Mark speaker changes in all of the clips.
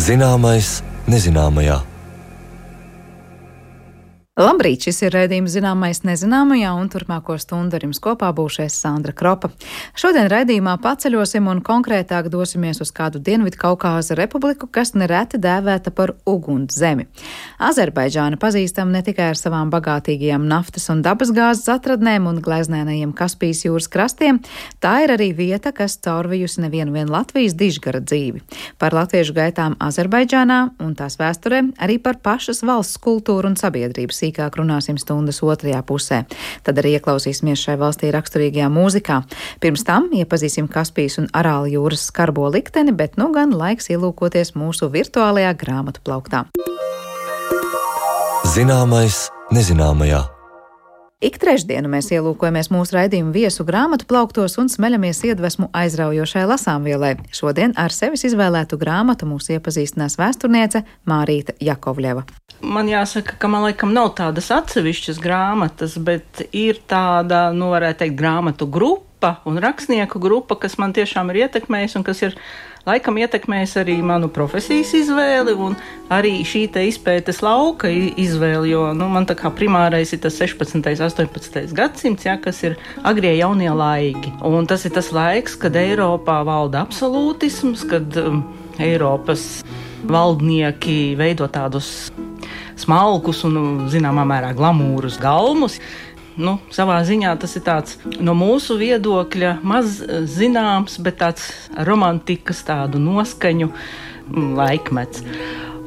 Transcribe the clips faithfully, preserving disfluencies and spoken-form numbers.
Speaker 1: Zināmais nezināmajā.
Speaker 2: Labrīt, šis ir raidījums Zināmais nezināmajā, un turpmāko stundu ar jums kopā būšu es Sandra Kropa. Šodien raidījumā paceļosim un konkrētāk dosimies uz kādu Dienvidkaukāza republiku, kas nereti dēvēta par uguns zemi. Azerbaidžāna pazīstama ne tikai ar savām bagātīgajām naftas un dabasgāzes atradnēm un gleznēnajiem Kaspijas jūras krastiem, tā ir arī vieta, kas caurvijusi nevienu vien Latvijas dižgara dzīvi. Par latviešu gaitām Azerbaidžānā un tās vēsturē, arī par pašas valsts kultūru un sabiedrības sīkāk runāsim stundas otrajā pusē. Tad arī ieklausīsimies šai valstī raksturīgajā mūzikā. Pirms tam iepazīsim Kaspijas un Arāla jūras skarbo likteni, bet nu gan laiks ielūkoties mūsu virtuālajā grāmatu plauktā.
Speaker 1: Zināmais nezināmajā.
Speaker 2: Ik trešdienu mēs ielūkojamies mūsu raidījumu viesu grāmatu plauktos un smeļamies iedvesmu aizraujošai lasāmvielai. Šodien ar sevis izvēlētu grāmatu mūs iepazīstinās vēsturniece Mārīta Jakovļeva.
Speaker 3: Man jāsaka, ka man laikam nav tādas atsevišķas grāmatas, bet ir tāda, nu varētu teikt, grāmatu grupa un rakstnieku grupa, kas man tiešām ir ietekmējusi un kas ir laikam ietekmējis arī manu profesijas izvēli un arī šī te izpētes lauka izvēli, jo nu, man tā kā primārais ir tas sešpadsmitais, astoņpadsmitais gadsimts, ja, kas ir agrie jaunie laiki. Un tas ir tas laiks, kad Eiropā valda absolūtisms, kad um, Eiropas valdnieki veido tādus smalkus un, zināmā mērā, glamūrus galmus. Nu, savā ziņā tas ir tāds no mūsu viedokļa maz zināms, bet tāds romantikas tādu noskaņu laikmets.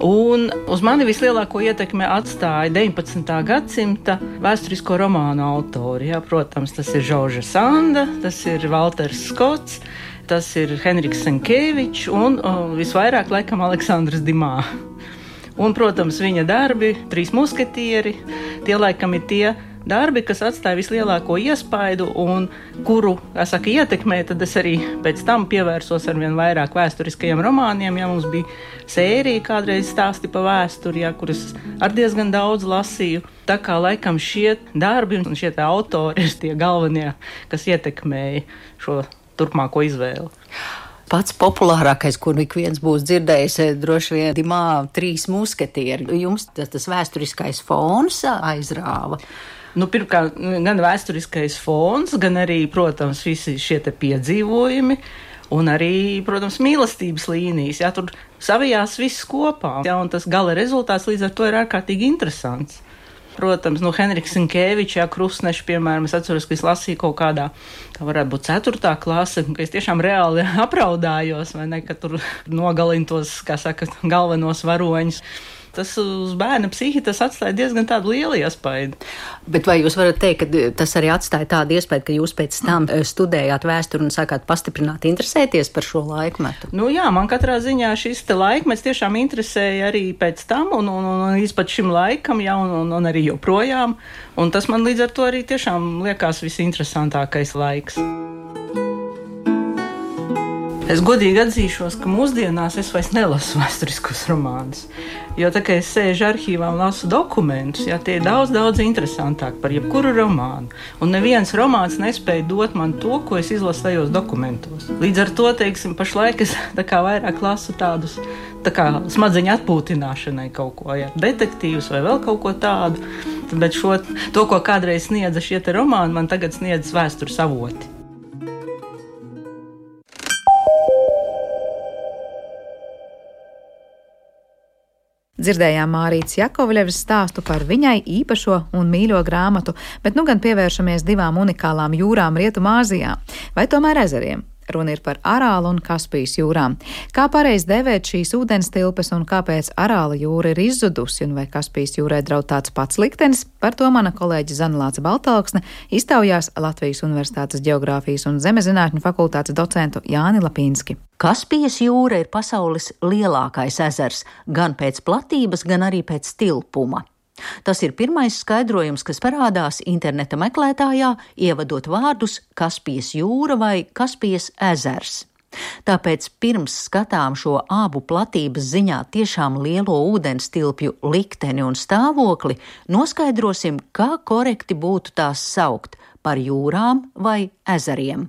Speaker 3: Un uz mani vislielāko ietekmi atstāja deviņpadsmitā gadsimta vēsturisko romānu autori. Jā, protams, tas ir Žorža Sanda, tas ir Valters Skots, tas ir Henriks Senkēvičs un o, visvairāk laikam Aleksandrs Dimā. Un, protams, viņa darbi, Trīs musketieri, tie laikam ir tie darbi, kas atstāja vislielāko iespaidu un kuru, kā saka, ietekmē, tad es arī pēc tam pievērsos arvien vairāk vēsturiskajiem romāniem, ja mums bija sērija kādreiz stāsti pa vēsturi, ja, kuras ar diezgan daudz lasīju. Tā kā laikam šie darbi un šie tā autori ir tie galvenie, kas ietekmēja šo turpmāko izvēli.
Speaker 4: Pats populārākais, kur ik viens būs dzirdējis, droši vien Dimā Trīs musketieri. Jums tas, tas vēsturiskais fons aizrāva?
Speaker 3: Nu, pirmkārt, gan vēsturiskais fons, gan arī, protams, visi šie te piedzīvojumi un arī, protams, mīlestības līnijas. Jā, tur savijās viss kopā, jā, un tas gala rezultāts līdz ar to ir ārkārtīgi interesants. Protams, nu, Henriks Senkēvičs, jā, Krustneši, piemēram, es atceros, ka es lasīju kaut kādā, tā varētu būt ceturtā klase, ka es tiešām reāli apraudājos, vai ne, ka tur nogalina tos, kā saka, galvenos varoņus. Tas uz bērna psihi tas atstāja diezgan tādu lielu iespaidu.
Speaker 4: Bet vai jūs varat teikt, ka tas arī atstāja tādu iespaidu, ka jūs pēc tam studējāt vēsturi un sākāt pastiprināt interesēties par šo laikmetu?
Speaker 3: Nu jā, man katrā ziņā šis te laikmets tiešām interesēja arī pēc tam un, un, un līdz pat šim laikam, jā, un, un, un arī joprojām. Un tas man līdz ar to arī tiešām liekas visinteresantākais laiks. Es godīgi atzīšos, ka mūsdienās es vairs nelasu vēsturiskos romānus, jo tā kā es sēžu arhīvā un lasu dokumentus, jā, tie ir daudz, daudz interesantāk par jebkuru romānu, un neviens romāns nespēja dot man to, ko es izlasu tajos dokumentos. Līdz ar to, teiksim, pašlaik es tā kā vairāk lasu tādus, tā kā smadzeņu atpūtināšanai kaut ko, jā, detektīvus vai vēl kaut ko tādu, bet šo, to, ko kādreiz sniedza šie te romāni, man tagad sniedz vēstures avoti.
Speaker 2: Dzirdējām Mārītas Jakovļevas stāstu par viņai īpašo un mīļo grāmatu, bet nu gan pievēršamies divām unikālām jūrām Rietumāzijā, vai tomēr ezeriem. Runa ir par Arālu un Kaspijas jūrām. Kā pareizi dēvēt šīs ūdenstilpes un kāpēc Arāla jūra ir izzudusi un vai Kaspijas jūrai draud tāds pats liktenis, par to mana kolēģe Zanelāce Baltalksne iztaujās Latvijas Universitātes Ģeogrāfijas un Zemezinātņu fakultātes docentu Jāni Lapīnski.
Speaker 4: Kaspijas jūra ir pasaules lielākais ezers, gan pēc platības, gan arī pēc tilpuma. Tas ir pirmais skaidrojums, kas parādās interneta meklētājā, ievadot vārdus Kaspijas jūra vai Kaspijas ezers. Tāpēc pirms skatām šo abu platības ziņā tiešām lielo ūdenstilpju likteni un stāvokli, noskaidrosim, kā korekti būtu tās saukt par jūrām vai ezeriem.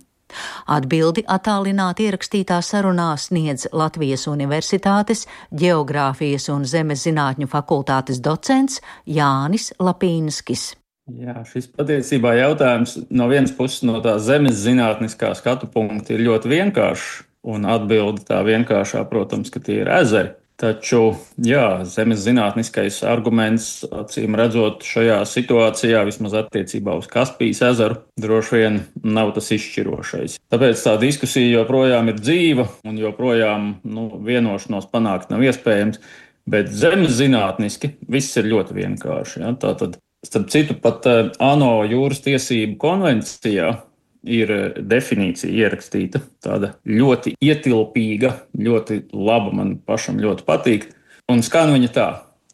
Speaker 4: Atbildi attālināti ierakstītā sarunā sniedz Latvijas Universitātes Ģeogrāfijas un zemes zinātņu fakultātes docents Jānis Lapīnskis.
Speaker 5: Jā, šis patiesībā jautājums no vienas puses no tā zemes zinātniskā skatu punkta ir ļoti vienkāršs, un atbilde tā vienkāršā, protams, ka tie ir ezeri. Taču, jā, zemes zinātniskais arguments, acīm redzot, šajā situācijā, vismaz attiecībā uz Kaspijas ezeru, droši vien nav tas izšķirošais. Tāpēc tā diskusija joprojām ir dzīva, un joprojām nu, vienošanos panākt nav iespējams, bet zemes zinātniski viss ir ļoti vienkārši. Ja? Tātad, starp citu, pat ANO jūras tiesību konvencijā ir definīcija ierakstīta, tāda ļoti ietilpīga, ļoti laba, man pašam ļoti patīk. Un skan viņa tā: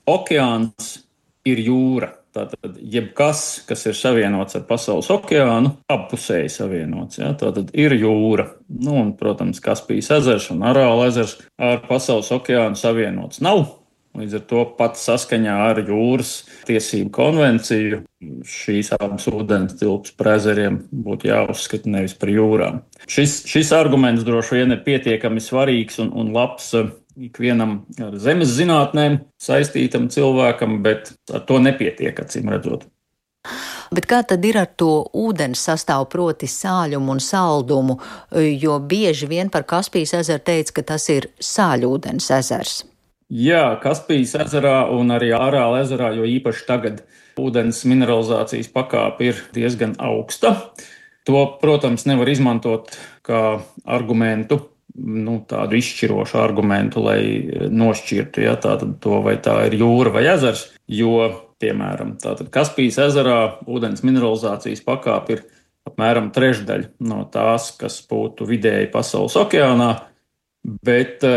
Speaker 5: okeāns ir jūra. Tātad jebkas, kas ir savienots ar pasaules okeānu, appusēji savienots. Ja? Tātad ir jūra. Nu, un, protams, Kaspijas ezers un Arāla ezers ar pasaules okeānu savienots nav. Līdz ar to pat saskaņā ar jūras tiesību konvenciju šīs abas ūdens tilpes par ezeriem būtu jāuzskata nevis par jūrām. Šis, šis arguments droši vien ir pietiekami svarīgs un, un labs ikvienam ar zemes zinātnēm saistītam cilvēkam, bet ar to nepietiek, acīm redzot.
Speaker 4: Bet kā tad ir ar to ūdens sastāvu, proti sāļumu un saldumu, jo bieži vien par Kaspijas ezeru teica, ka tas ir sāļūdens ezers?
Speaker 5: Jā, Kaspijas ezerā un arī Arāla ezerā, jo īpaši tagad ūdens mineralizācijas pakāpe ir diezgan augsta. To, protams, nevar izmantot kā argumentu, nu, tādu izšķirošu argumentu, lai nošķirtu, ja, tātad to, vai tā ir jūra vai ezers, jo, piemēram, tātad Kaspijas ezerā ūdens mineralizācijas pakāpe ir apmēram trešdaļa no tās, kas būtu vidēji pasaules okeānā, bet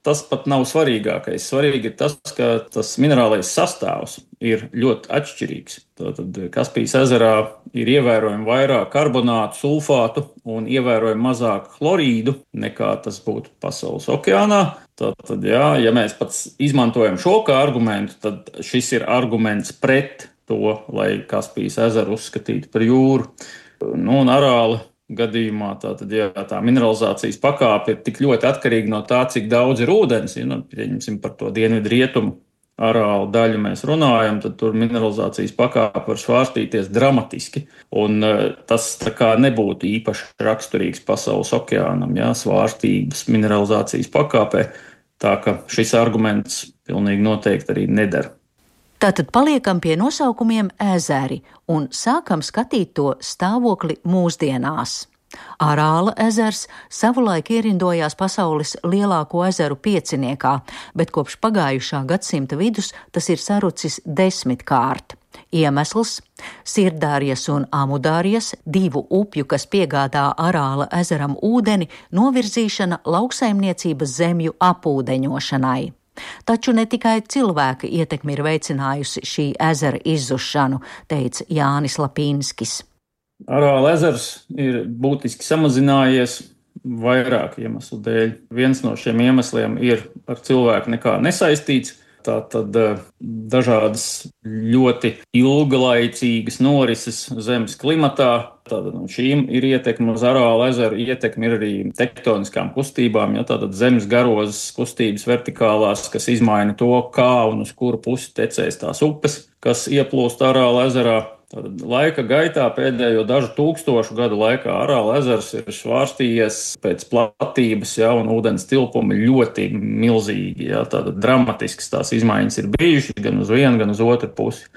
Speaker 5: tas pat nav svarīgākais. Svarīgi ir tas, ka tas minerālais sastāvs ir ļoti atšķirīgs. Tātad Kaspijas ezerā ir ievērojami vairāk karbonātu, sulfātu un ievērojami mazāk chlorīdu nekā tas būtu pasaules okeānā. Tātad, jā, ja mēs pats izmantojam šo kā argumentu, tad šis ir arguments pret to, lai Kaspijas ezeru uzskatītu par jūru. Nu, un Arāla gadījumā tātad, ja tā mineralizācijas pakāpe ir tik ļoti atkarīga no tā, cik daudz ir ūdens, ja nu, pieņemsim par to dienvidu rietumu Arāla daļu mēs runājam, tad tur mineralizācijas pakāpe var svārstīties dramatiski. Un tas tā kā nebūtu īpaši raksturīgs pasaules okeānam, ja, svārstības mineralizācijas pakāpē, tā ka šis arguments pilnīgi noteikti arī nedara.
Speaker 4: Tātad paliekam pie nosaukumiem ezeri un sākam skatīt to stāvokli mūsdienās. Arāla ezers savulaik ierindojās pasaules lielāko ezeru pieciniekā, bet kopš pagājušā gadsimta vidus tas ir sarucis desmitkārt. Iemesls – Sirdārijas un Amudārijas, divu upju, kas piegādā Arāla ezeram ūdeni, novirzīšana lauksaimniecības zemju apūdeņošanai. Taču ne tikai cilvēka ietekme ir veicinājusi šī ezera izzušanu, teica Jānis Lapīnskis.
Speaker 5: Arāla ezers ir būtiski samazinājies vairāku iemeslu dēļ. Viens no šiem iemesliem ir ar cilvēku nekā nesaistīts. Tātad dažādas ļoti ilglaicīgas norises zemes klimatā. Tātad šīm ir ietekme uz Arāla ezeru, ietekme ir arī tektoniskām kustībām, ja tātad zemes garozes kustības vertikālās, kas izmaina to, kā un uz kuru pusi tecēs tās upes, kas ieplūst Arāla ezerā. Tātad laika gaitā pēdējo dažu tūkstošu gadu laikā Arāla ezers ir svārstījies pēc platības, ja, un ūdens tilpumi ļoti milzīgi. Ja, tātad dramatisks tās izmaiņas ir bijušas gan uz vienu, gan uz otru pusi.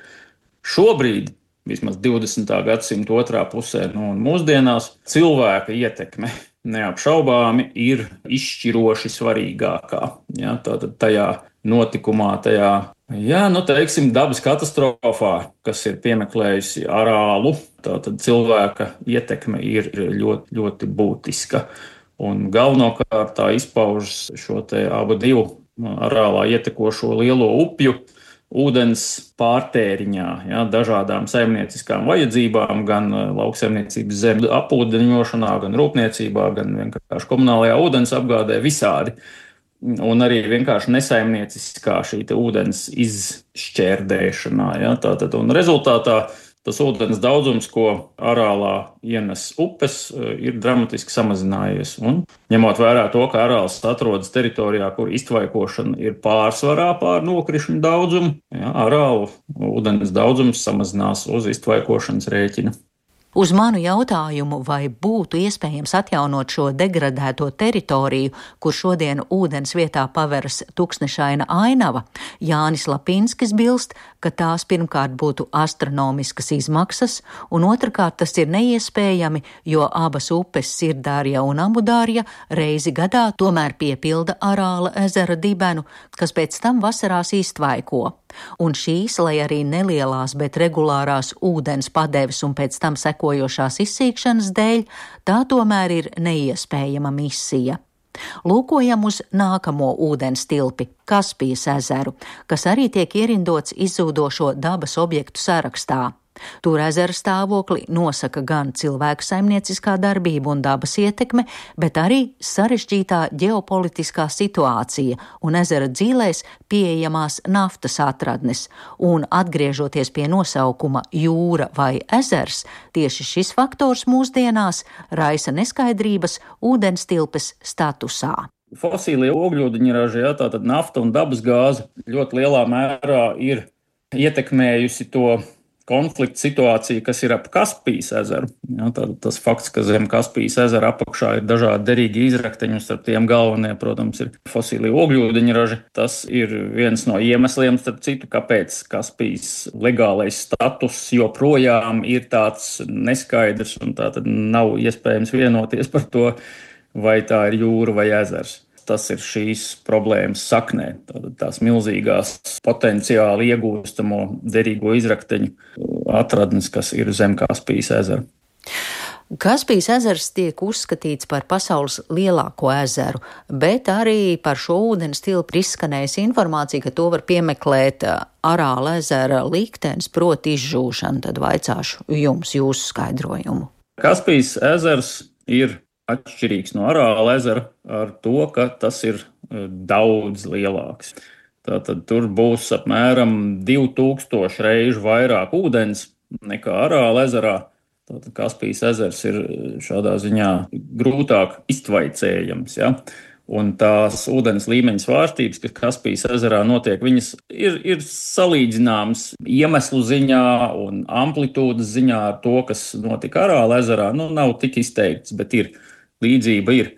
Speaker 5: Šobrīd, vismaz divdesmitā gadsimta otrā pusē, nu, un mūsdienās, cilvēka ietekme neapšaubāmi ir izšķiroši svarīgākā. Ja, tātad tajā notikumā, tajā Jā, nu teiksim, dabas katastrofā, kas ir piemeklējusi Arālu, tātad cilvēka ietekme ir ļoti, ļoti būtiska. Un galvenokārt tā izpaužas šo te abu divu Arālā ietekošo lielo upju ūdens pārtēriņā, ja, dažādām saimnieciskām vajadzībām, gan lauksaimniecības zemju apūdeņošanā, gan rūpniecībā, gan vienkārši komunālajā ūdens apgādē visādi. Un arī vienkārši nesaimnieciskā šī te ūdens izšķērdēšanā. Ja, tātad, un rezultātā tas ūdens daudzums, ko Arālā ienes upes, ir dramatiski samazinājies. Un, ņemot vērā to, ka Arāls atrodas teritorijā, kur iztvaikošana ir pārsvarā pār nokrišņu daudzumu, jā, Arālu ūdens daudzums samazinās uz iztvaikošanas rēķina.
Speaker 4: Uz manu jautājumu, vai būtu iespējams atjaunot šo degradēto teritoriju, kur šodien ūdens vietā paveras tuksnešaina ainava, Jānis Lapinskis bilst, ka tās pirmkārt būtu astronomiskas izmaksas, un otrkārt tas ir neiespējami, jo abas upes Sirdārja un Amudārja reizi gadā tomēr piepilda Arāla ezera dibenu, kas pēc tam vasarās iztvaiko. Un šīs, lai arī nelielās, bet regulārās ūdens padeves un pēc tam sekojošās izsīkšanas dēļ, tā tomēr ir neiespējama misija. Lūkojam uz nākamo ūdens tilpi, Kaspijas ezeru, kas arī tiek ierindots izzūdošo dabas objektu sarakstā. Tur ezera stāvokli nosaka gan cilvēku saimnieciskā darbība un dabas ietekme, bet arī sarežģītā ģeopolitiskā situācija un ezera dzīlēs pieejamās naftas atradnes. Un atgriežoties pie nosaukuma jūra vai ezers, tieši šis faktors mūsdienās raisa neskaidrības ūdenstilpes statusā.
Speaker 5: Fosīlie ogļūdeņraži, jā, tātad nafta un dabas gāze ļoti lielā mērā ir ietekmējusi to konflikta situācija, kas ir ap Kaspijas ezeru. Ja, tā, tas fakts, ka zem Kaspijas ezera apakšā ir dažādi derīgi izrakteņi, un starp tiem galvenie, protams, ir fosīlie ogļūdeņraži. Tas ir viens no iemesliem, starp citu, kāpēc Kaspijas legālais status joprojām ir tāds neskaidrs, un tā tad nav iespējams vienoties par to, vai tā ir jūra vai ezers. Tas ir šīs problēmas saknē, tātad tās milzīgās potenciāli iegūstamo derīgo izrakteņu atradnes, kas ir zem Kaspijas ezera.
Speaker 4: Kaspijas ezers tiek uzskatīts par pasaules lielāko ezeru, bet arī par šo ūdens tilpu izskanējusi informācija, ka to var piemeklēt Arāla ezera liktenis, proti izžūšana. Tad vaicāšu jums jūsu skaidrojumu.
Speaker 5: Kaspijas ezers ir atšķirīgs no Arāla ezera ar to, ka tas ir daudz lielāks. Tātad tur būs apmēram divi tūkstoši reižu vairāk ūdens nekā Arāla ezerā. Tātad Kaspijas ezers ir šādā ziņā grūtāk iztvaicējams, ja? Un tās ūdens līmeņa svārstības, kas Kaspijas ezerā notiek, viņas ir, ir salīdzināmas iemeslu ziņā un amplitūdas ziņā ar to, kas notika Arāla ezerā. Nu, nav tik izteikts, bet ir. Līdzība ir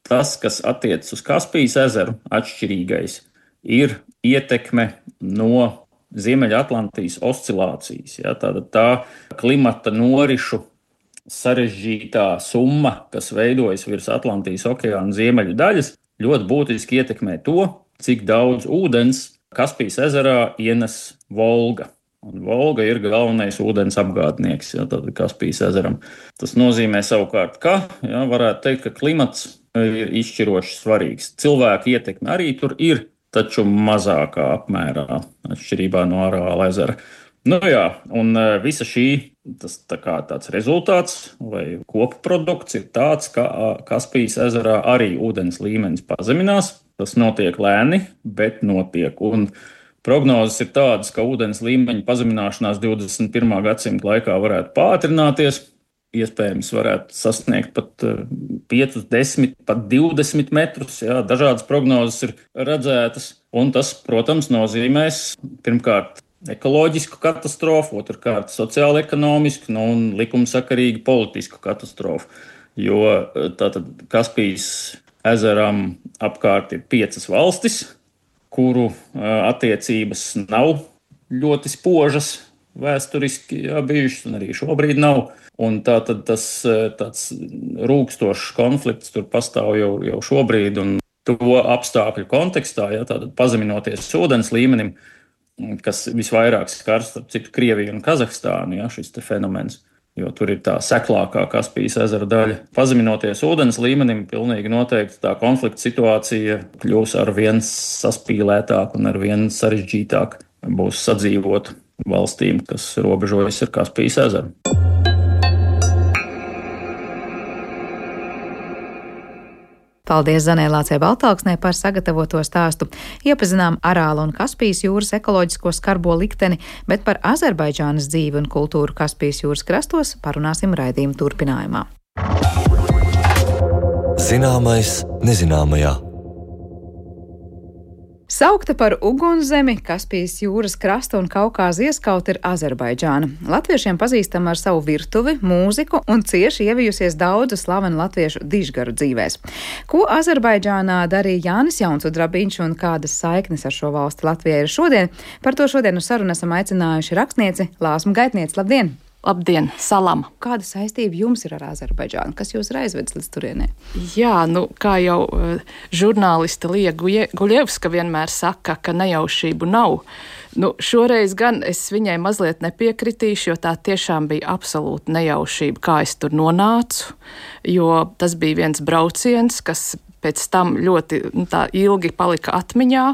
Speaker 5: tas, kas attiecas uz Kaspijas ezeru, atšķirīgais, ir ietekme no Ziemeļatlantijas oscilācijas. Ja, tāda tā klimata norišu sarežģītā summa, kas veidojas virs Atlantijas okeāna ziemeļu daļas, ļoti būtiski ietekmē to, cik daudz ūdens Kaspijas ezerā ienes Volga. Un Volga ir galvenais ūdens apgādnieks, ja, tātad Kaspijas ezeram. Tas nozīmē savukārt, ka, ja, varētu teikt, ka klimats ir izšķiroši svarīgs. Cilvēku ietekme arī tur ir, taču mazākā apmērā, atšķirībā no Arāla ezera. Nu jā, un visa šī, tas tā kā tāds rezultāts vai kopprodukts ir tāds, ka Kaspijas ezerā arī ūdens līmenis pazeminās. Tas notiek lēni, bet notiek. Un prognozes ir tādas, ka ūdens līmeņa pazemināšanās divdesmit pirmā gadsimta laikā varētu pātrināties, iespējams varētu sasniegt pat pieci, desmit, pat divdesmit metrus, jā, dažādas prognozes ir redzētas, un tas, protams, nozīmēs pirmkārt ekoloģisku katastrofu, otrkārt sociāli-ekonomisku, nu, un likumsakarīgu politisku katastrofu, jo tātad Kaspijas ezeram apkārt ir piecas valstis, kuru attiecības nav ļoti spožas vēsturiski jā, bijušas, un arī šobrīd nav. Un tā tad tas tāds rūkstošs konflikts tur pastāv jau, jau šobrīd, un to apstākļu kontekstā, jā, tātad pazeminoties ūdens līmenim, kas visvairāk skars, starp citu, Krieviju un Kazahstānu, jā, šis te fenomens. Jo tur ir tā seklākā Kaspijas ezera daļa. Pazeminoties ūdens līmenim, pilnīgi noteikti tā konflikta situācija kļūs ar vien saspīlētāk un ar vien sarežģītāk būs sadzīvot valstīm, kas robežojas ar Kaspijas ezeru.
Speaker 2: Paldies Zanē Lācei Baltāksnē par sagatavoto stāstu. Iepazinām Arāla un Kaspijas jūras ekoloģisko skarbo likteni, bet par Azerbaidžānas dzīvi un kultūru Kaspijas jūras krastos parunāsim raidījuma turpinājumā.
Speaker 1: Zināmais nezināmajā.
Speaker 2: Saukta par ugunszemi, Kaspijas jūras krasta un Kaukāza ieskauta ir Azerbaidžāna. Latviešiem pazīstama ar savu virtuvi, mūziku un cieši ievijusies daudzu slavenu latviešu dižgaru dzīvēs. Ko Azerbaidžānā darīja Jānis Jaunsudrabiņš un kādas saiknes ar šo valsti Latvijai ir šodien? Par to šodien uz sarunu esam aicinājuši rakstnieci Lāsmu Gaitnieci. Labdien!
Speaker 6: Labdien, salam!
Speaker 2: Kāda saistība jums ir ar Azerbaidžānu? Kas jūs ir aizvedis līdz turienei?
Speaker 6: Jā, nu, kā jau uh, žurnāliste Lija Guļevska vienmēr saka, ka nejaušību nav. Nu, šoreiz gan es viņai mazliet nepiekritīšu, jo tā tiešām bija absolūta nejaušība, kā es tur nonācu, jo tas bija viens brauciens, kas pēc tam ļoti nu, tā ilgi palika atmiņā,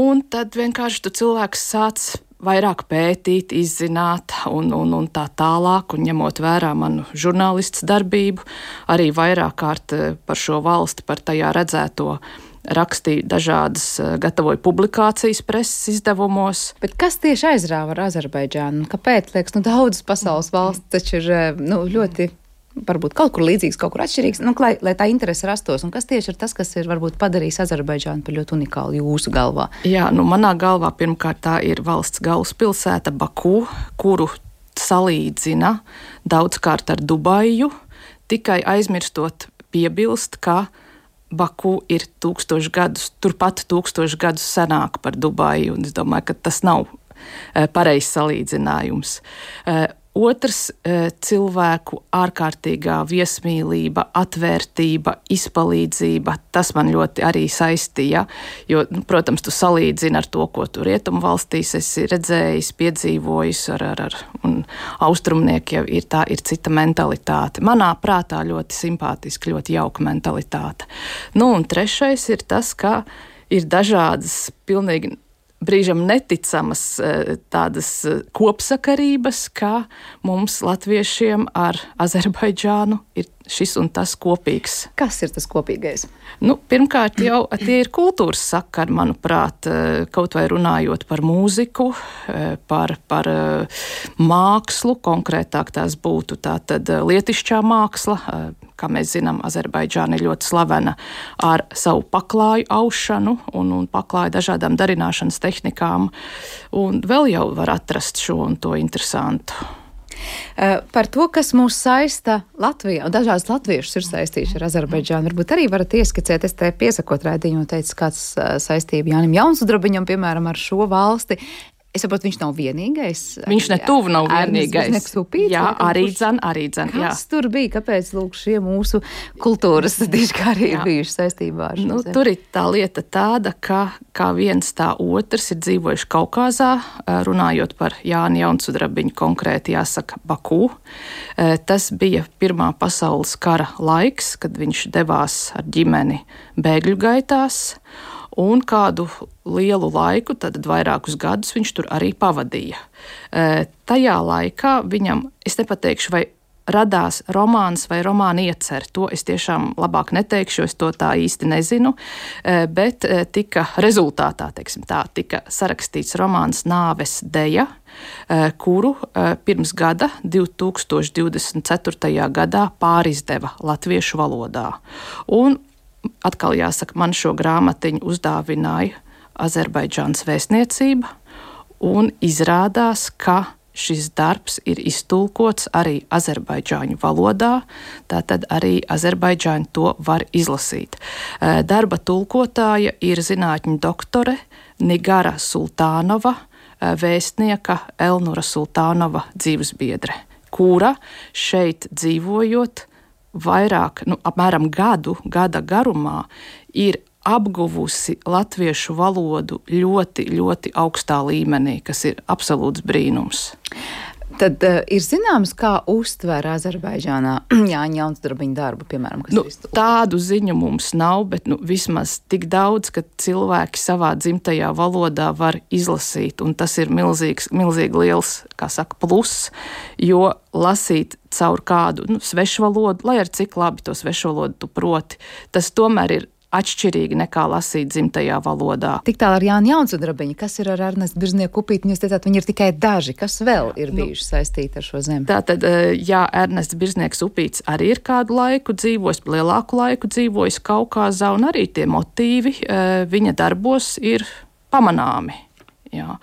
Speaker 6: un tad vienkārši tu cilvēks sāc vairāk pētīt, izzināt un, un, un tā tālāk, un ņemot vērā manu žurnālists darbību, arī vairāk kārt par šo valsti, par tajā redzēto rakstīju dažādas, gatavoju publikācijas preses izdevumos.
Speaker 2: Bet kas tieši aizrāva ar Azerbaidžānu? Kāpēc, liekas, nu daudzas pasaules valsts taču ir nu, ļoti varbūt kaut kur līdzīgs, kaut kur atšķirīgs, nu, lai, lai tā interese rastos. Un kas tieši ir tas, kas ir varbūt padarījis Azerbaidžānu par ļoti unikālu jūsu galvā?
Speaker 6: Jā, nu manā galvā pirmkārt tā ir valsts galvaspilsēta Baku, kuru salīdzina daudzkārt ar Dubaju, tikai aizmirstot piebilst, ka Baku ir tūkstoši gadus, turpat tūkstoši gadus senāk par Dubaju, un es domāju, ka tas nav pareizs salīdzinājums. Otrs cilvēku ārkārtīgā viesmīlība, atvērtība, izpalīdzība, tas man ļoti arī saistīja, jo, nu, protams, tu salīdzini ar to, ko tu rietumu valstīs esi redzējis, piedzīvojis, ar, ar, ar, un austrumnieki jau ir tā, ir cita mentalitāte. Manā prātā ļoti simpātiski, ļoti jauka mentalitāte. Nu, un trešais ir tas, ka ir dažādas pilnīgi brīžam neticamas tādas kopsakarības, ka mums latviešiem ar Azerbaidžānu ir šis un tas kopīgs.
Speaker 2: Kas ir tas kopīgais?
Speaker 6: Nu, pirmkārt jau tie ir kultūras sakari, manuprāt, kaut vai runājot par mūziku, par, par mākslu, konkrētāk tās būtu tātad lietišķā māksla. Kā mēs zinām, Azerbaidžāna ir ļoti slavena ar savu paklāju aušanu un, un paklāju dažādām darināšanas tehnikām, un vēl jau var atrast šo un to interesantu.
Speaker 2: Par to, kas mūs saista Latvijā, un dažādas latviešus ir saistījuši ar Azerbaidžānu, varbūt arī varat ieskicēt, es te piesakot raidījumu, teicu, kāds saistība Jānim Jaunsudrabiņam, piemēram, ar šo valsti. Es saprotu, viņš nav vienīgais.
Speaker 6: Viņš ne tuvu nav vienīgais.
Speaker 2: Supīts,
Speaker 6: jā, arī dzen, arī dzen.
Speaker 2: Kas jā. Tur bija? Kāpēc, lūk, šie mūsu kultūras dižgari ir bijuši saistībā ar šo
Speaker 6: nu,
Speaker 2: zemi?
Speaker 6: Tur ir tā lieta tāda, ka kā viens tā otrs ir dzīvojuši Kaukāzā, runājot par Jāni Jaunsudrabiņu konkrēti jāsaka Baku. Tas bija Pirmā pasaules kara laiks, kad viņš devās ar ģimeni bēgļu gaitās. Un kādu lielu laiku, tad vairākus gadus viņš tur arī pavadīja. E, tajā laikā viņam, es nepateikšu, vai radās romāns vai romāna iecer, to es tiešām labāk neteikšu, es to tā īsti nezinu, e, bet e, tika rezultātā, teiksim tā, tika sarakstīts romāns Nāves deja, e, kuru e, pirms gada, divi tūkstoši divdesmit ceturtajā gadā pārizdeva latviešu valodā. Un atkal jāsaka, man šo grāmatiņu uzdāvināja Azerbaidžānas vēstniecība, un izrādās, ka šis darbs ir iztulkots arī azerbaidžāņu valodā, tātad arī azerbaidžāņi to var izlasīt. Darba tulkotāja ir zinātņu doktore Nigara Sultānova, vēstnieka Elnura Sultānova dzīvesbiedre, kura šeit dzīvojot vairāk, nu, apmēram gadu, gada garumā ir apguvusi latviešu valodu ļoti, ļoti augstā līmenī, kas ir absolūts brīnums.
Speaker 2: Tad uh, ir zināms, kā uztver Azerbaidžānā Jāņa Jaunsudrabiņa darbu, piemēram, kas
Speaker 6: nu,
Speaker 2: ir iztulkots?
Speaker 6: Tādu ziņu mums nav, bet nu, vismaz tik daudz, ka cilvēki savā dzimtajā valodā var izlasīt, un tas ir milzīgs, milzīgi liels, kā saka, pluss, jo lasīt caur kādu nu, svešu valodu, lai ar cik labi to svešu valodu tu proti, tas tomēr ir atšķirīgi nekā lasīt dzimtajā valodā.
Speaker 2: Tik tālu ar Jāņa Jaunsudrabiņu, kas ir ar Ernestu Birznieku upīti, jūs teicāt, viņi ir tikai daži, kas vēl ir bijuši nu, saistīti ar šo zemi?
Speaker 6: Tātad, jā, Ernests Birznieks upīts arī ir kādu laiku dzīvojis, lielāku laiku dzīvojis Kaukāzā, un arī tie motīvi viņa darbos ir pamanāmi. Jā.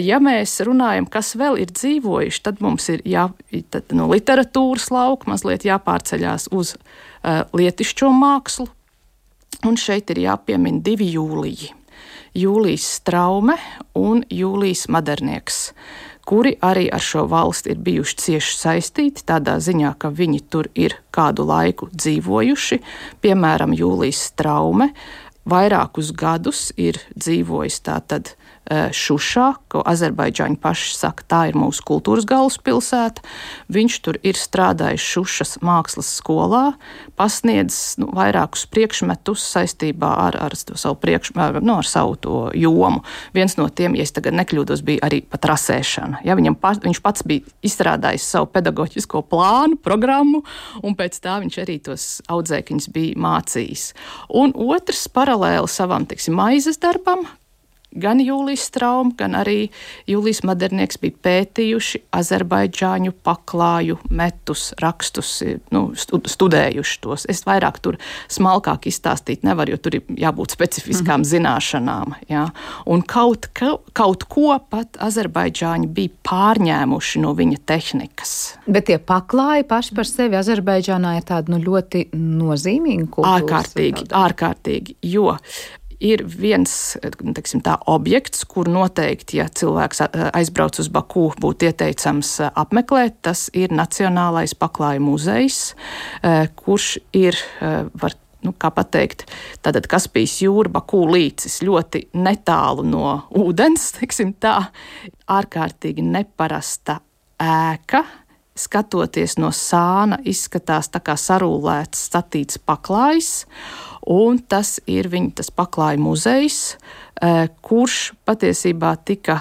Speaker 6: Ja mēs runājam, kas vēl ir dzīvojuši, tad mums ir jā, tad, no literatūras lauka mazliet jāpārceļās uz uh, lietišķo mākslu. Un šeit ir jāpiemina divi Jūliji. Jūlijs Straume un Jūlijs Madernieks, kuri arī ar šo valsti ir bijuši cieši saistīti, tādā ziņā, ka viņi tur ir kādu laiku dzīvojuši. Piemēram, Jūlijs Straume vairākus gadus ir dzīvojis tātad Šušā, ko Azerbaidžāņi paši saka, tā ir mūsu kultūras galvaspilsēta. Viņš tur ir strādājis Šušas mākslas skolā, pasniedzis nu, vairākus priekšmetus saistībā ar, ar, savu, priekš, nu, ar savu to jomu. Viens no tiem, ja es tagad nekļūdos, bija arī pat rasēšana. Ja, viņam pa, viņš pats bija izstrādājis savu pedagoģisko plānu, programmu, un pēc tā viņš arī tos audzēkņus bija mācījis. Un otrs paralēli savam, teiksim, maizes darbam, gan Jūlijs Strauma, gan arī Jūlijs Madernieks bija pētījuši azerbaidžāņu paklāju metus, rakstus, nu, studējuši tos. Es vairāk tur smalkāk izstāstīt nevaru, jo tur ir jābūt specifiskām mm-hmm. zināšanām. Jā. Un kaut, kaut ko pat azerbaidžāņi bija pārņēmuši no viņa tehnikas.
Speaker 2: Bet tie paklāji paši par sevi Azerbaidžānā ir tādi nu, ļoti nozīmīgi kultūras.
Speaker 6: Ārkārtīgi, ārkārtīgi, jo ir viens, teiksim, tā objekts, kur noteikti, ja cilvēks aizbrauc uz Baku, būtu ieteicams apmeklēt, tas ir Nacionālais paklāju muzejs, kurš ir, var, nu, kā pateikt, tātad Kaspijas jūra, Baku līcis, ļoti netālu no ūdens, teiksim tā, ārkārtīgi neparasta ēka. Skatoties no sāna, izskatās tā kā sarūlēts, statīts paklājs, un tas ir viņa tas paklāju muzejs, kurš patiesībā tika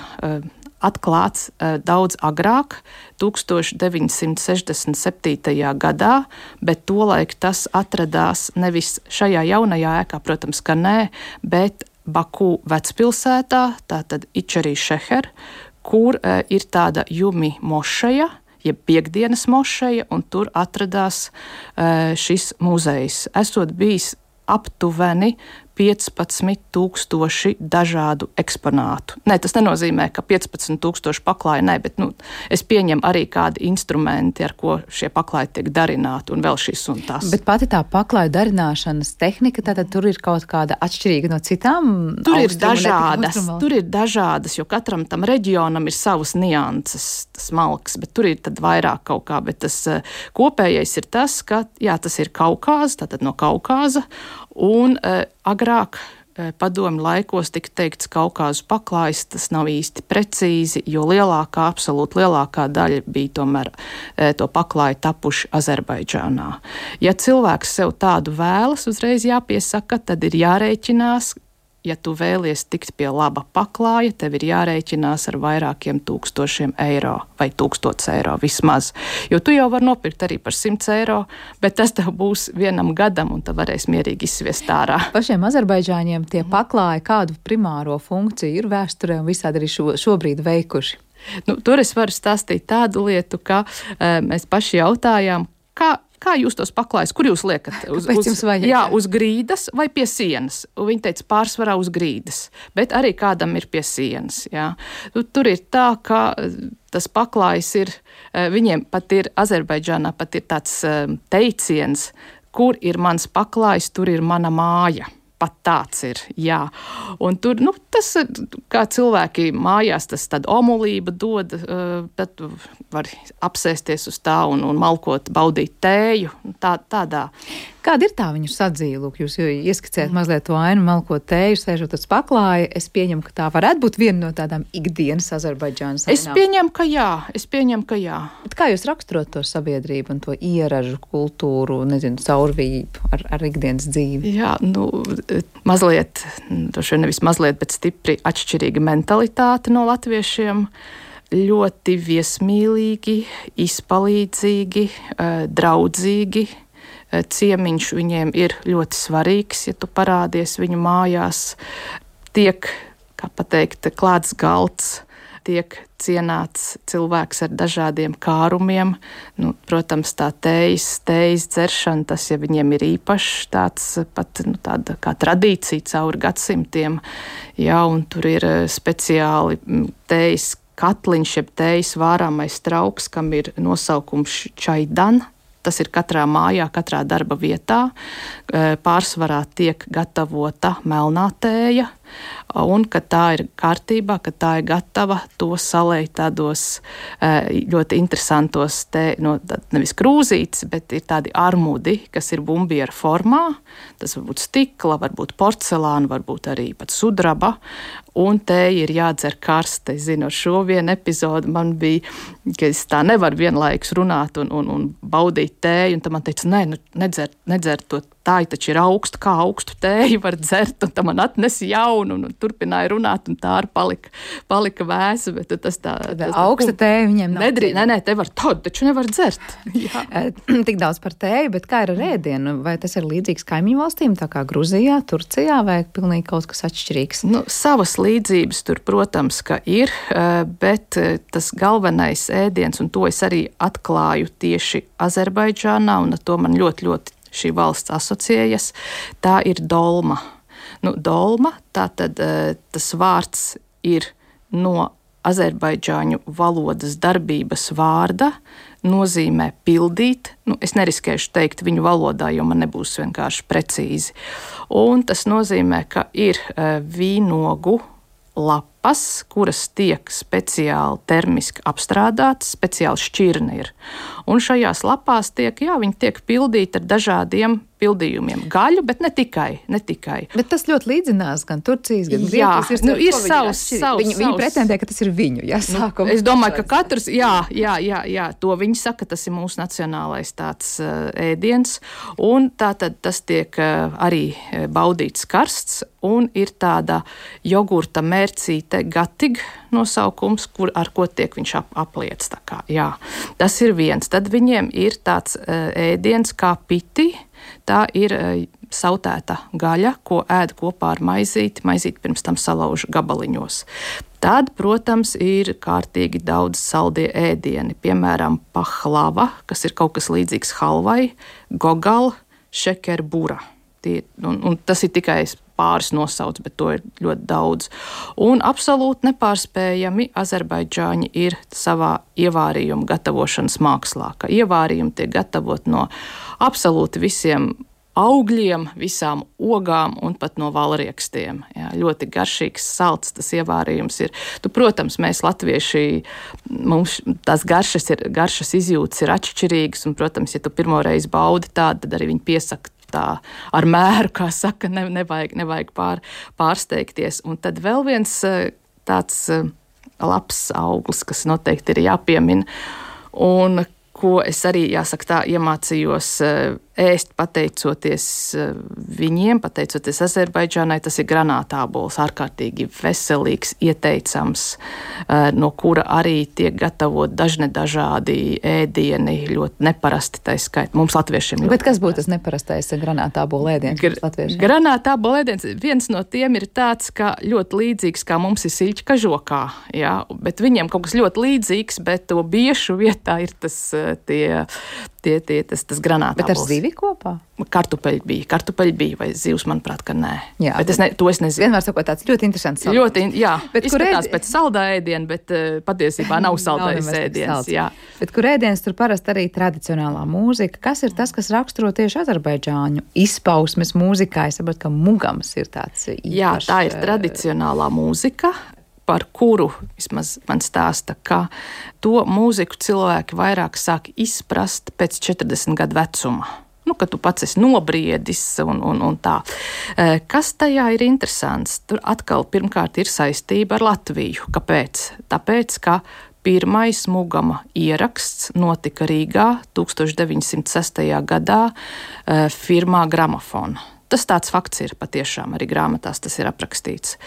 Speaker 6: atklāts daudz agrāk, deviņdesmit sešdesmit septītajā gadā, bet tolaik tas atradās nevis šajā jaunajā ēkā, protams, ka nē, bet Baku vecpilsētā, tātad Ičerī Šeher, kur ir tāda Jumi mošeja, jeb piekdienas mošeja, un tur atradās uh, šis muzejs. Esot bijis aptuveni piecpadsmit tūkstoši dažādu eksponātu. Nē, tas nenozīmē, ka piecpadsmit tūkstoši paklāji, nē, bet nu, es pieņemu arī kādi instrumenti, ar ko šie paklāji tiek darināti, un vēl šis un tas.
Speaker 2: Bet pati tā paklāju darināšanas tehnika, tātad tur ir kaut kāda atšķirīga no citām?
Speaker 6: Tur ir dažādas, tur ir dažādas, jo katram tam reģionam ir savas nianses, smalks, bet tur ir tad vairāk kaut kā, bet tas kopējais ir tas, ka, jā, tas ir Kaukāza, tātad no Kaukāza, un uh, agrāk uh, padomju laikos tika teikts Kaukāzu paklājs, tas nav īsti precīzi, jo lielākā, absolūti lielākā daļa bija tomēr uh, to paklāju tapuši Azerbaidžānā. Ja cilvēks sev tādu vēlas, uzreiz jāpiesaka, tad ir jārēķinās, ja tu vēlies tikt pie laba paklāja, tev ir jārēķinās ar vairākiem tūkstošiem eiro vai tūkstots eiro vismaz. Jo tu jau vari nopirkt arī par simts eiro, bet tas tev būs vienam gadam un tu varēsi mierīgi izsviest ārā.
Speaker 2: Pašiem azerbaidžāņiem tie paklāji kādu primāro funkciju ir vēsturē un visādi arī šo, šobrīd veikuši?
Speaker 6: Nu, tur es varu stāstīt tādu lietu, ka e, mēs paši jautājām, kā Kā jūs tos paklājat? Kur jūs liekat? Uz, uz, jā, uz grīdas vai pie sienas? Un viņi teica, pārsvarā uz grīdas, bet arī kādam ir pie sienas. Jā. Tur ir tā, ka tas paklājs ir, viņiem pat ir, Azerbaidžānā pat ir tāds teiciens, kur ir mans paklājs, tur ir mana māja. Pat tāds ir, jā. Un tur, nu, tas, kā cilvēki mājās, tas tāda omulība dod, bet var apsēsties uz tā un, un malkot, baudīt tēju, tā, tādā.
Speaker 2: Kāda ir tā viņu sadzīve? Jūs ieskicējat mazliet to ainu, malkot tēju, sēžot uz paklāja. Es pieņemu, ka tā varētu būt viena no tādām ikdienas Azerbaidžānas ainām.
Speaker 6: Es pieņemu, ka jā. Es pieņemu, ka jā.
Speaker 2: Bet kā jūs raksturot to sabiedrību un to ieražu kultūru, nezinu, caurvību ar, ar ikdienas dzīvi?
Speaker 6: Jā, nu, mazliet, droši vien nevis mazliet, bet stipri atšķirīga mentalitāte no latviešiem. Ļoti viesmīlīgi, izpalīdzīgi, draudzīgi. Ciemiņš viņiem ir ļoti svarīgs, ja tu parādies viņu mājās. Tiek, kā pateikt, klāts galds, tiek cienāts cilvēks ar dažādiem kārumiem. Nu, protams, tā tējas, tējas dzeršana, tas ja viņiem ir īpašs, tāds pat nu, tāda kā tradīcija cauri gadsimtiem. Jā, un tur ir speciāli tējas katliņš, jeb tējas vārāmais trauks, kam ir nosaukums čaidan. Tas ir katrā mājā, katrā darba vietā. Pārsvarā tiek gatavota melnā tēja, un, kad tā ir kārtībā, kad tā ir gatava, to salēj tādos ļoti interesantos, tē, no, nevis krūzītes, bet ir tādi armudi, kas ir bumbiera formā. Tas var būt stikla, varbūt porcelāna, varbūt arī pat sudraba, un tēja ir jādzer karsta. Es zinu, ar šo vienu epizodu man bija, ka es tā nevaru vienlaikus runāt un, un, un baudīt tēju, un tad man teica, nē, nu, nedzer, nedzer to tā, taču ir augstu, kā augstu tēju var dzert, un tā man atnesa jaunu, un, un turpināja runāt, un tā arī palika, palika vēsa, bet tas tā... Tas,
Speaker 2: augsta tēja viņiem nav.
Speaker 6: Nedrī, nē, nē, te var tādu, taču nevar dzert.
Speaker 2: Tik daudz par tēju, bet kā ir ar ēdienu? Vai tas ir līdzīgs kaimiņu valstīm, tā kā Gruzijā, Turcijā, vai pilnīgi kaut kas atšķirīgs? Nu,
Speaker 6: savas līdzības tur, protams, ka ir, bet tas galvenais ēdiens, un to es arī atklāju tieši Azerbaidžānā, un ar to man ļoti, ļoti šī valsts asociējas, tā ir dolma. Nu, dolma, tātad tas vārds ir no azerbaidžāņu valodas darbības vārda, nozīmē pildīt. Nu, es neriskēšu teikt viņu valodā, jo man nebūs vienkārši precīzi. Un tas nozīmē, ka ir vīnogu lapas, kuras tiek speciāli termiski apstrādātas, speciāli šķirne ir. Un šajās lapās tiek, jā, viņi tiek pildīti ar dažādiem pildījumiem. Gaļu, bet ne tikai, ne tikai.
Speaker 2: Bet tas ļoti līdzinās gan Turcijas, gan
Speaker 6: Grieķijas.
Speaker 2: Ir,
Speaker 6: nu, ir savs, savs,
Speaker 2: viņi, viņi pretendē, ka tas ir viņu, jā, sākuma.
Speaker 6: Nu, es domāju, ka katrs, jā, jā, jā, jā, to viņi saka, tas ir mūsu nacionālais tāds uh, ēdiens, un tātad tas tiek uh, arī baudīts karsts, un ir tāda jogurta mērcīte gatig nosaukums, kur, ar ko tiek viņš ap, apliec. Tā kā, jā. Tas ir viens. Tad viņiem ir tāds uh, ēdiens kā piti. Tā ir sautēta gaļa, ko ēd kopā ar maizīti. Maizīti pirms tam salauž gabaliņos. Tad, protams, ir kārtīgi daudz saldie ēdieni. Piemēram, pahlava, kas ir kaut kas līdzīgs halvai, gogal, šekerbura. Tie, un, un tas ir tikai pāris nosauc, bet to ir ļoti daudz. Un absolūti nepārspējami Azerbaidžāņi ir savā ievārījuma gatavošanas mākslā, ka ievārījumi tiek gatavot no absolūti visiem augļiem, visām ogām un pat no valriekstiem. Jā, ļoti garšīgs, salds tas ievārījums ir. Tu, protams, mēs latvieši, mums tās garšas, ir, garšas izjūtas ir atšķirīgas, un, protams, ja tu pirmoreiz baudi tādu, tad arī viņi piesaka tā ar mēru, kā saka, ne, nevajag, nevajag pār, pārsteigties. Un tad vēl viens tāds labs auglis, kas noteikti ir jāpiemina, un ko es arī, jāsaka tā, iemācījos ēst pateicoties viņiem, pateicoties Azerbaidžānai, tas ir granātābols, ārkārtīgi veselīgs, ieteicams, no kura arī tiek gatavot dažne dažādi ēdieni, ļoti neparasti tā skaita. Mums latviešiem ļoti.
Speaker 2: Bet kas būtu tas neparastais granātābola ēdiens?
Speaker 6: Gr- granātābola ēdiens, viens no tiem ir tāds, ka ļoti līdzīgs, kā mums ir siļķa kažokā, jā, bet viņiem kaut kas ļoti līdzīgs, bet to biešu vietā ir tas tie, tie, tie tas, tas granātābols.
Speaker 2: Bet ar zivi kopā?
Speaker 6: Kartupeļi bija, kartupeļi bija, vai zivs, manuprāt, ka nē.
Speaker 2: Jā,
Speaker 6: bet es ne, to es nezinu.
Speaker 2: Vienmēr sakot, tāds ļoti interesants salds.
Speaker 6: Ļoti, jā,
Speaker 2: bet
Speaker 6: izskatās
Speaker 2: ēd...
Speaker 6: pēc saldā ēdiena, bet uh, patiesībā nav saldais ēdiens. Jā.
Speaker 2: Bet kur ēdiens tur parasti arī tradicionālā mūzika. Kas ir tas, kas raksturo tieši azerbaidžāņu izpausmes mūzikā? Es saprotu, ka mugams ir tāds īpašs.
Speaker 6: Jā, tā ir tradicionālā mūzika, par kuru vismaz man stāsta, ka to mūziku cilvēki vairāk sāk izprast pēc četrdesmit gadu vecuma. nu, ka tu pats esi nobriedis un, un, un tā. Kas tajā ir interesants? Tur atkal pirmkārt ir saistība ar Latviju. Kāpēc? Tāpēc, ka pirmais Mugama ieraksts notika Rīgā tūkstoš deviņsimt sestajā gadā firmā Gramofona. Tas tāds fakts ir patiešām, arī grāmatās tas ir aprakstīts.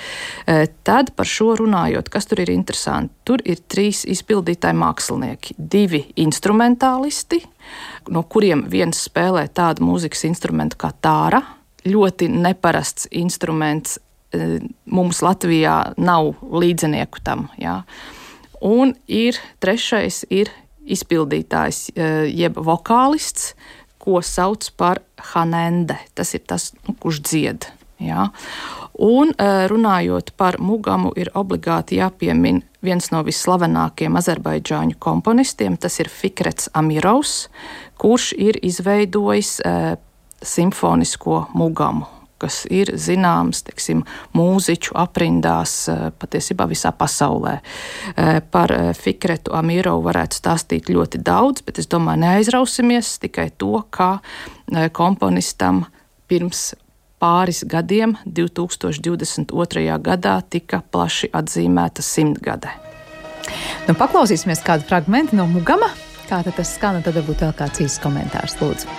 Speaker 6: Tad par šo runājot, kas tur ir interesanti, tur ir trīs izpildītāji mākslinieki, divi instrumentālisti, no kuriem viens spēlē tādu mūzikas instrumentu kā tāra, ļoti neparasts instruments, mums Latvijā nav līdzinieku tam, jā. Un ir trešais ir izpildītājs, jeb vokālists, ko sauc par hanende. Tas ir tas, nu, kurš dzied. Jā. Un runājot par Mugamu, ir obligāti jāpiemin viens no visslavenākajiem azerbaidžāņu komponistiem, tas ir Fikrets Amirovs, kurš ir izveidojis e, simfonisko Mugamu, kas ir zināms, teiksim, mūziķu aprindās patiesībā visā pasaulē. Par Fikretu Amirovu varētu stāstīt ļoti daudz, bet es domāju, neaizrausimies tikai to, kā komponistam pirms pāris gadiem, divtūkstoš divdesmit otrajā gadā, tika plaši atzīmēta simtgade.
Speaker 2: Nu, paklausīsimies kādu fragmentu no Mugama. Kā tad tas skan, tad varbūt vēl kāds īsts komentārs, lūdzu.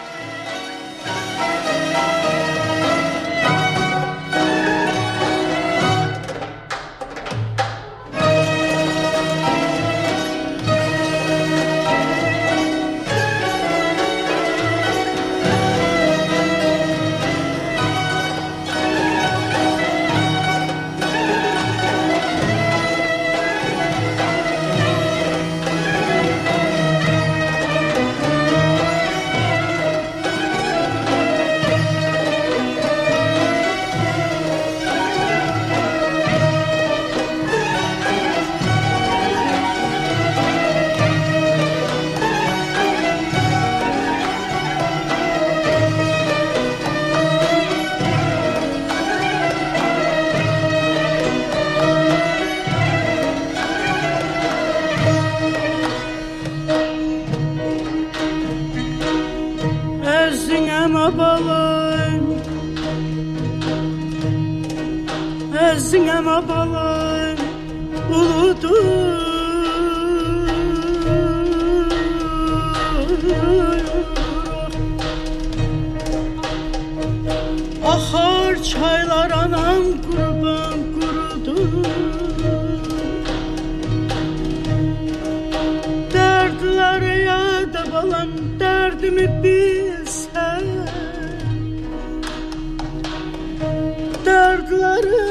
Speaker 7: Ahar çaylar anam kurban kurudu, dertler ya da balam derdimi bilsen, dertleri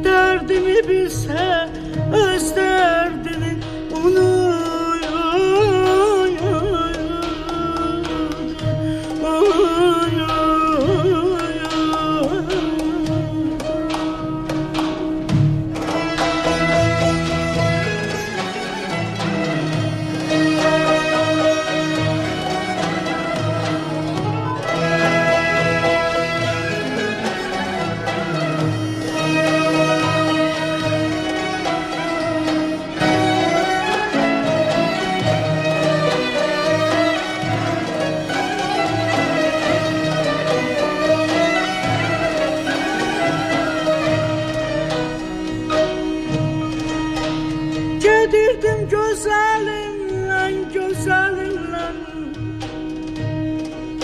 Speaker 7: derdimi bilse, öz derdini onu Gedirdim güzelinle, güzelinle,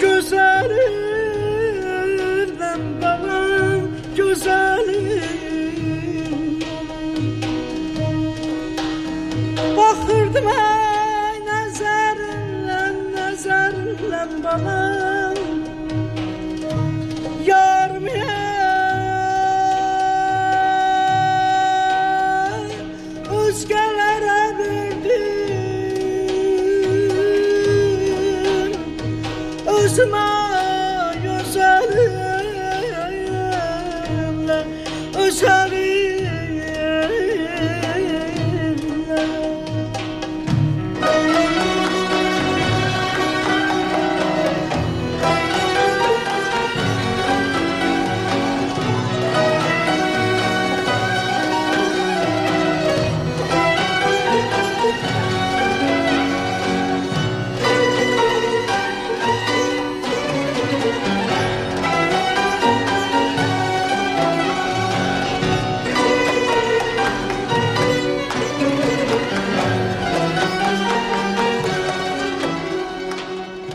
Speaker 7: güzelinle balam, güzelim. Bakırdım ay nazarınla, nazarınla balam, yarım ya. Özgelere verdim, özüme güzelimle, özelimle.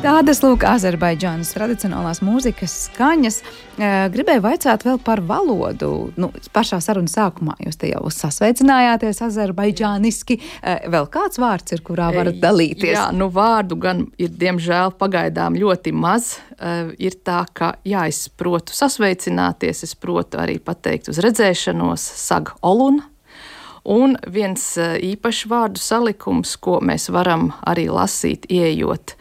Speaker 2: Tādas, lūk, Azerbaidžānas tradicionālās mūzikas skaņas. Gribēju vaicāt vēl par valodu. Nu, pašā sarunas sākumā jūs te jau sasveicinājāties azerbaidžāniski. Vēl kāds vārds ir, kurā varat dalīties?
Speaker 6: Jā, nu vārdu gan ir, diemžēl, pagaidām ļoti maz. Ir tā, ka, jā, es protu sasveicināties, es protu arī pateikt uz redzēšanos, sag olun. Un viens īpašs vārdu salikums, ko mēs varam arī lasīt, ieejot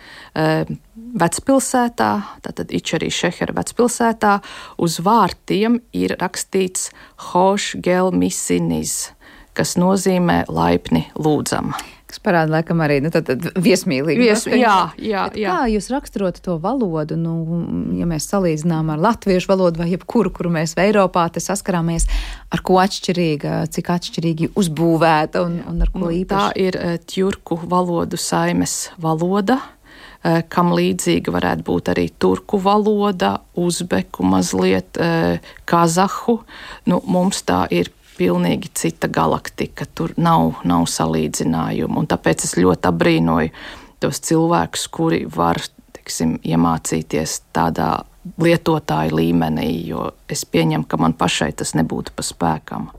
Speaker 6: vecpilsētā, tātad Ičarī Šehera vecpilsētā, uz vārtiem ir rakstīts Hoš gel misiniz, kas nozīmē laipni lūdzam.
Speaker 2: Kas parāda, laikam, arī nu, tad, tad viesmīlīgi.
Speaker 6: Vies, jā, jā, jā.
Speaker 2: Kā jūs raksturotu to valodu, nu, ja mēs salīdzinām ar latviešu valodu vai jebkuru, kuru mēs Eiropā te saskarāmies, ar ko atšķirīga, cik atšķirīgi uzbūvēta un, un ar ko īpaši?
Speaker 6: Tā ir tjurku valodu saimes valoda, kam līdzīga varētu būt arī turku valoda, uzbeku mazliet, kazahu. Nu, mums tā ir pilnīgi cita galaktika, tur nav, nav salīdzinājumu, un tāpēc es ļoti abrīnoju tos cilvēkus, kuri var, teiksim, iemācīties tādā lietotāju līmenī, jo es pieņemu, ka man pašai tas nebūtu pa spēkam.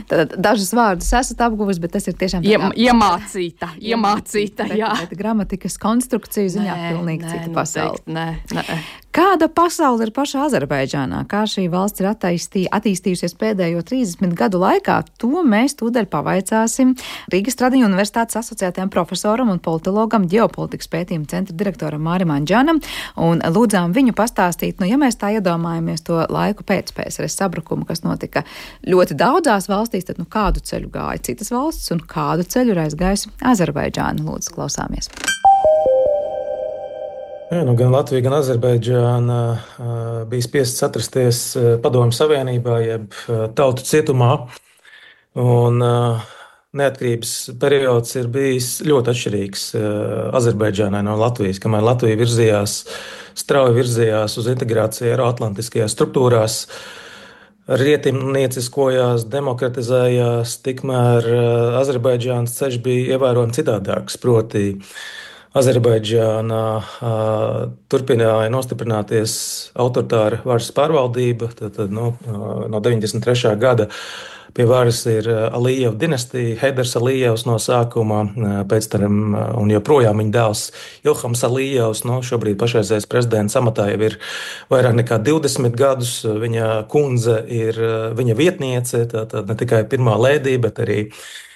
Speaker 2: Tad dažas vārdus esat apguvis, bet tas ir tiešām
Speaker 6: Iem, iemācīta, iemācīta, jā.
Speaker 2: Bet, bet gramatikas konstrukciju ziņā nē, pilnīgi
Speaker 6: nē,
Speaker 2: cita pasaule.
Speaker 6: Nē, nē.
Speaker 2: Kāda pasaule ir pašā Azerbaidžānā? Kā šī valsts ir attīstī, attīstījusies pēdējo trīsdesmit gadu laikā? To mēs tūdaļ pavaicāsim Rīgas Tradiņu universitātes asociētajam profesoram un politologam, ģeopolitikas pētījuma centra direktoram Mārim Anģānam, un lūdzām viņu pastāstīt, nu, ja mēs tā iedomājamies to laiku pēc P S R S sabrukuma, kas notika ļoti daudzās valstīs, tad nu kādu ceļu gāja citas valsts un kādu ceļu ir aizgājusi Azerbaidžāna? Lūdzu, klausāmies.
Speaker 8: Jā, nu, gan Latvija, gan Azerbaidžāna bija spiestas atrasties Padomju Savienībā, jeb tautu cietumā. Un neatkarības periods ir bijis ļoti atšķirīgs Azerbaidžānai no Latvijas, kamēr Latvija virzījās, strauji virzījās uz integrāciju eiroatlantiskajās struktūrās, rietimnieciskojās, demokratizējās, tikmēr Azerbaidžānas ceļš bija ievērojami citādāks, proti Azerbaidžānā uh, turpināja nostiprināties autoritāra varas pārvaldība. Tad, tad, nu, no deviņdesmit trešā gada pie varas ir Alijeva dinastija, Heidars Alijevs no sākuma, pēc tam un joprojām viņa dēls Ilhams Alijevs. Nu, šobrīd pašreizējais prezidents amatā jau ir vairāk nekā divdesmit gadus. Viņa kundze ir viņa vietniece, tātad ne tikai pirmā lēdī, bet arī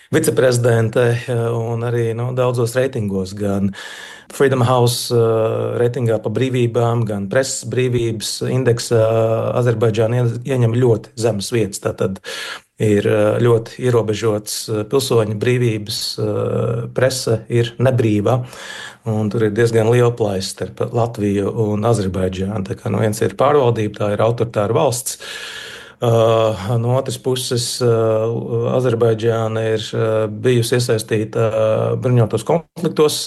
Speaker 8: viceprezidente un arī nu, daudzos reitingos, gan Freedom House reitingā pa brīvībām, gan preses brīvības indeksā Azerbaidžāna ieņem ļoti zemes vietas. Tātad ir ļoti ierobežots pilsoņu brīvības, prese ir nebrīva, un tur ir diezgan liela plaisa starp Latviju un Azerbaidžānu. Tā kā no viens ir pārvaldība, tā ir autoritāra valsts. Uh, no otras puses, uh, Azerbaidžāna ir uh, bijusi iesaistīta uh, bruņotos konfliktos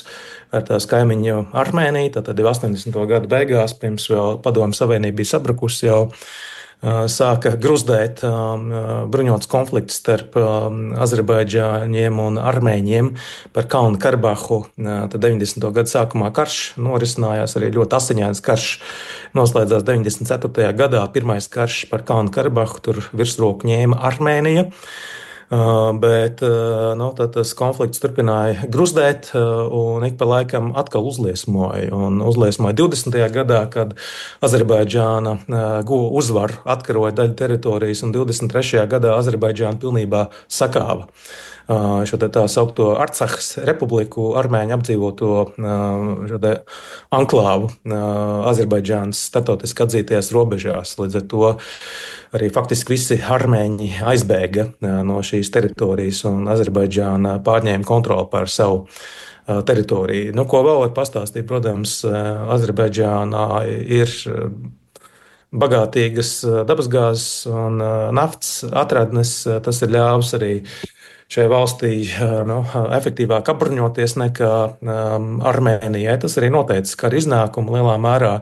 Speaker 8: ar tās kaimiņu Armēniju. Tātad jau astoņdesmito gadu beigās, pirms vēl Padomju Savienība bija sabrukusi, jau uh, sāka gruzdēt um, bruņots konflikts starp um, Azerbaidžāņiem un Armēņiem par Kalnu Karabahu. Uh, tad deviņdesmito gadu sākumā karš norisinājās, arī ļoti asiņains karš. Noslēdzās deviņdesmit ceturtajā gadā pirmais karš par Kalnu Karabahu, tur virsroku ņēma Armēnija, bet nu, tas konflikts turpināja gruzdēt un ik pa laikam atkal uzliesmoja. Un uzliesmoja divdesmitajā gadā, kad Azerbaidžāna guva uzvaru, atkaroja daļu teritorijas, un divdesmit trešajā gadā Azerbaidžāna pilnībā sakāva šo tā saukto Arcahas republiku, armēņu apdzīvoto šo te anklāvu Azerbaidžānas starptautiski atzītajās robežās. Līdz ar to arī faktiski visi armēņi aizbēga no šīs teritorijas, un Azerbaidžāna pārņēma kontroli pār savu teritoriju. Nu, ko vēl var pastāstīt, protams, Azerbaidžānā ir bagātīgas dabasgāzes un naftas atradnes. Tas ir ļāvis arī šai valstī nu, efektīvāk apbruņoties nekā um, Armēnijai. Tas arī noteica kara iznākumu lielā mērā.